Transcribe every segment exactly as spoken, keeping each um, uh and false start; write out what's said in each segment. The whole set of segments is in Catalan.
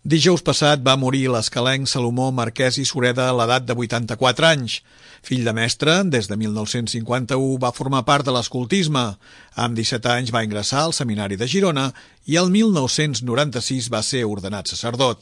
Dijous passat va morir l'escalenc Salomó Marquès i Sureda a l'edat de vuitanta-quatre anys. Fill de mestre, des de mil nou-cents cinquanta-u va formar part de l'escoltisme. Amb disset anys va ingressar al Seminari de Girona i el mil nou-cents noranta-sis va ser ordenat sacerdot.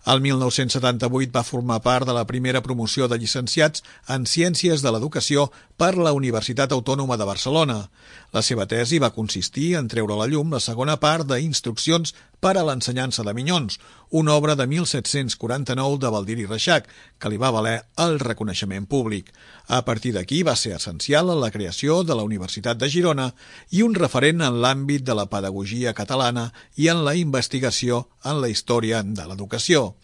El mil nou-cents setanta-vuit va formar part de la primera promoció de llicenciats en Ciències de l'Educació per la Universitat Autònoma de Barcelona. La seva tesi va consistir en treure a la llum la segona part d'Instruccions per a l'ensenyança de minyons, una obra de mil set-cents quaranta-nou de Baldiri Reixac, que li va valer el reconeixement públic. A partir d'aquí va ser essencial en la creació de la Universitat de Girona i un referent en l'àmbit de la pedagogia catalana i en la investigació en la història de l'educació.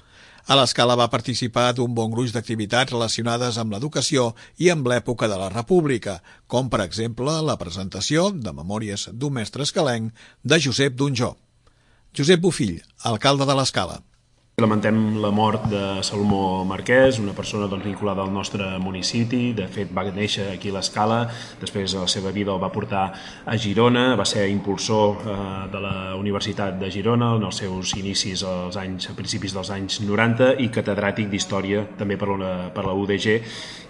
A l'Escala va participar d'un bon gruix d'activitats relacionades amb l'educació i amb l'època de la República, com per exemple la presentació de Memòries d'un mestre escalenc de Josep Donjó. Josep Bofill, alcalde de l'Escala. Lamentem la mort de Salomó Marquès, una persona doncs, vinculada al nostre municipi. De fet, va néixer aquí a l'Escala, després la seva vida el va portar a Girona, va ser impulsor eh, de la Universitat de Girona en els seus inicis als anys, a principis dels anys noranta i catedràtic d'Història també per la, per la U D G,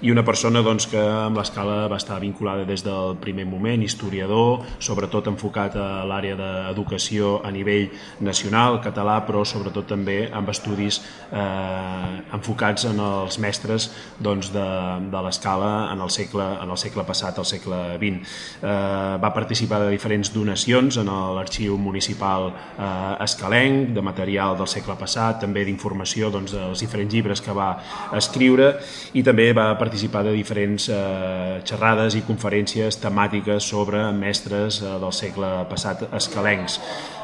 i una persona doncs, que amb l'Escala va estar vinculada des del primer moment, historiador, sobretot enfocat a l'àrea d'educació a nivell nacional, català, però sobretot també amb estudis eh, enfocats en els mestres doncs, de, de l'Escala en el segle, en el segle passat, al segle vint. Eh, va participar de diferents donacions en l'arxiu municipal eh, escalenc, de material del segle passat, també d'informació doncs, dels diferents llibres que va escriure, i també va participar de diferents eh, xerrades i conferències temàtiques sobre mestres eh, del segle passat escalencs.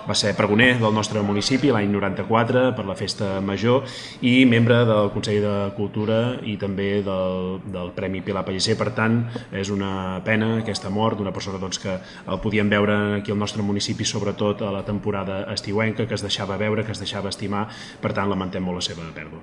Va ser pregoner del nostre municipi l'any noranta-quatre per la Festa Major i membre del Consell de Cultura i també del, del Premi Pilar Pellicer. Per tant, és una pena aquesta mort d'una persona doncs, que el podíem veure aquí al nostre municipi, sobretot a la temporada estiuenca, que es deixava veure, que es deixava estimar. Per tant, lamentem molt la seva pèrdua.